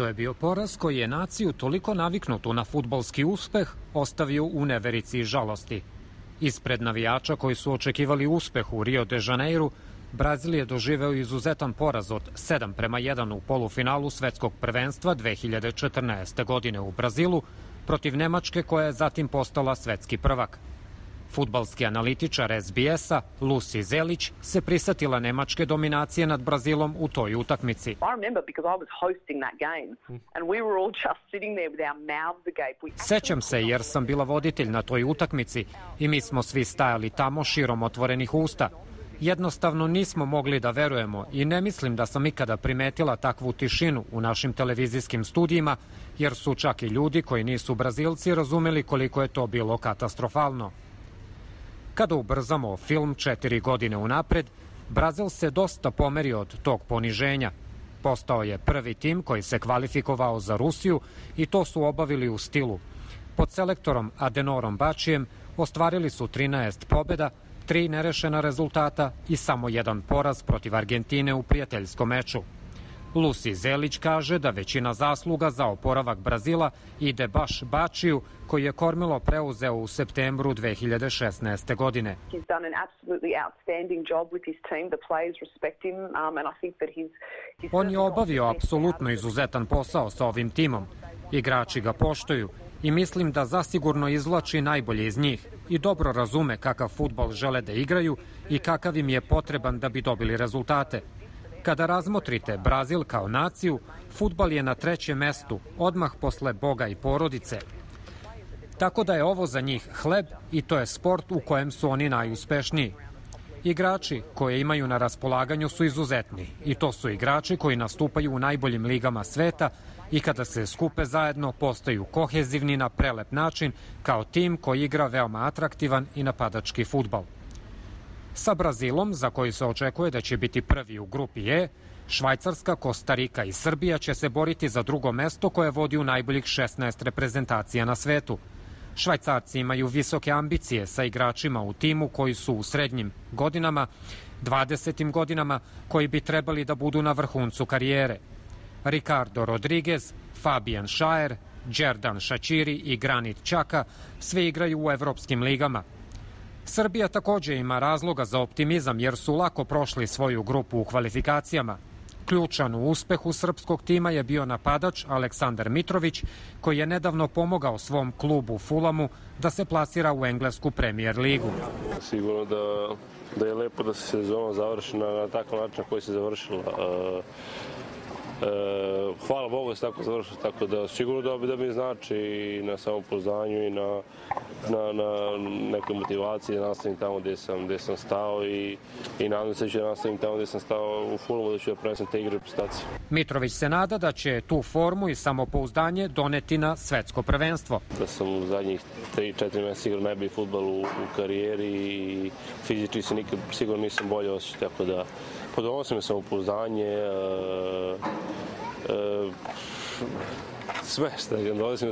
To je bio poraz koji je naciju toliko naviknutu na fudbalski uspeh ostavio u neverici i žalosti. Ispred navijača koji su očekivali uspeh u Rio de Janeiru, Brazil je doživeo izuzetan poraz od 7:1 u polufinalu svetskog prvenstva 2014. godine u Brazilu protiv Nemačke, koja je zatim postala svetski prvak. Fudbalski analitičar SBS-a Lucy Zelić se prisjetila nemačke dominacije nad Brazilom u toj utakmici. Sećam se jer sam bila voditelj na toj utakmici i mi smo svi stajali tamo širom otvorenih usta. Jednostavno nismo mogli da verujemo i ne mislim da sam ikada primetila takvu tišinu u našim televizijskim studijima, jer su čak i ljudi koji nisu Brazilci razumeli koliko je to bilo katastrofalno. Kada ubrzamo film 4 godine unapred, Brazil se dosta pomerio od tog poniženja. Postao je prvi tim koji se kvalifikovao za Rusiju i to su obavili u stilu. Pod selektorom Adenorom Bačijem ostvarili su 13 pobjeda, 3 nerešena rezultata i samo 1 poraz protiv Argentine u prijateljskom meču. Lucy Zelić kaže da većina zasluga za oporavak Brazila ide baš Bačiju, koji je kormilo preuzeo u septembru 2016. godine. On je obavio apsolutno izuzetan posao sa ovim timom. Igrači ga poštuju i mislim da zasigurno izvlači najbolje iz njih i dobro razume kakav fudbal žele da igraju i kakav im je potreban da bi dobili rezultate. Kada razmotrite Brazil kao naciju, fudbal je na 3. mestu, odmah posle Boga i porodice. Tako da je ovo za njih hleb i to je sport u kojem su oni najuspešniji. Igrači koje imaju na raspolaganju su izuzetni i to su igrači koji nastupaju u najboljim ligama sveta i kada se skupe zajedno postaju kohezivni na prelep način kao tim koji igra veoma atraktivan i napadački fudbal. Sa Brazilom, za koji se očekuje da će biti prvi u grupi E, Švajcarska, Kostarika i Srbija će se boriti za drugo mesto koje vodi u najboljih 16 reprezentacija na svetu. Švajcarci imaju visoke ambicije sa igračima u timu koji su u srednjim godinama, 20. godinama, koji bi trebali da budu na vrhuncu karijere. Ricardo Rodriguez, Fabian Schär, Džerdan Šačiri i Granit Xhaka sve igraju u evropskim ligama. Srbija također ima razloga za optimizam jer su lako prošli svoju grupu u kvalifikacijama. Ključan u uspehu srpskog tima je bio napadač Aleksandar Mitrović, koji je nedavno pomogao svom klubu Fulamu da se plasira u englesku Premier ligu. Sigurno da je lepo da se sezona završi na takav način koji se završila. Hvala Bogu da se tako završilo, tako da sigurno da mi znači i na samopouznanju i na nekoj motivaciji da nastavim tamo gdje sam stao i nadam se da ću da nastavim tamo gdje sam stao u Fulamu, da ću da prenesem te igre reprezentacije. Mitrović se nada da će tu formu i samopouzdanje doneti na svetsko prvenstvo. Da sam u zadnjih 3-4 mjeseca igrao najbolji fudbal u karijeri i fizički se nikad sigurno nisam bolje osjećao, tako da podonosim mi samopouzdanje,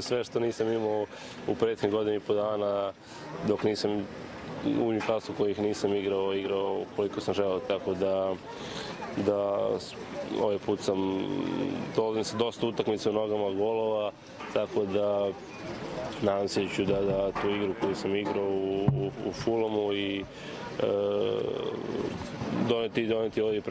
sve što nisam imao u prethodnih godina i po dana dok nisam u Newcastlu kojih nisam igrao koliko sam želeo, tako da ovaj put dolazim sa dosta utakmica u nogama, golova, tako da nadam se ću da tu igru koju sam igrao u Fulamu i doneti ovdje,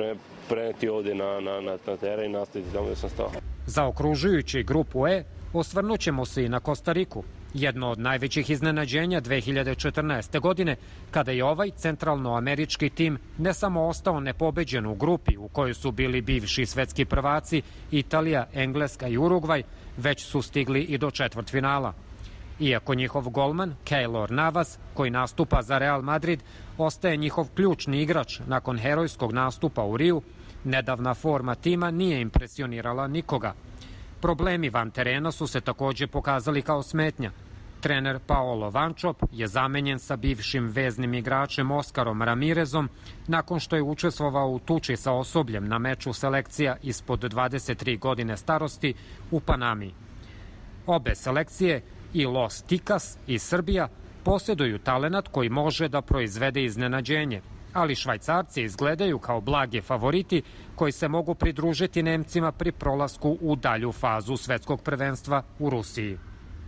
preneti ovdje na teren i nastaviti tamo gdje sam stao. Zaokružujući grupu E, osvrnut ćemo se i na Kostariko, jedno od najvećih iznenađenja 2014. godine, kada je ovaj centralnoamerički tim ne samo ostao nepobeđen u grupi u kojoj su bili bivši svetski prvaci Italija, Engleska i Urugvaj, već su stigli i do četvrtfinala. Iako njihov golman, Keylor Navas, koji nastupa za Real Madrid, ostaje njihov ključni igrač nakon herojskog nastupa u Riju, nedavna forma tima nije impresionirala nikoga. Problemi van terena su se također pokazali kao smetnja. Trener Paolo Vančop je zamenjen sa bivšim veznim igračem Oskarom Ramirezom nakon što je učestvovao u tuči sa osobljem na meču selekcija ispod 23 godine starosti u Panami. Obe selekcije, i Los Ticas i Srbija, posjeduju talenat koji može da proizvede iznenađenje, ali Švajcarci izgledaju kao blagi favoriti koji se mogu pridružiti Nemcima pri prolasku u dalju fazu svetskog prvenstva u Rusiji.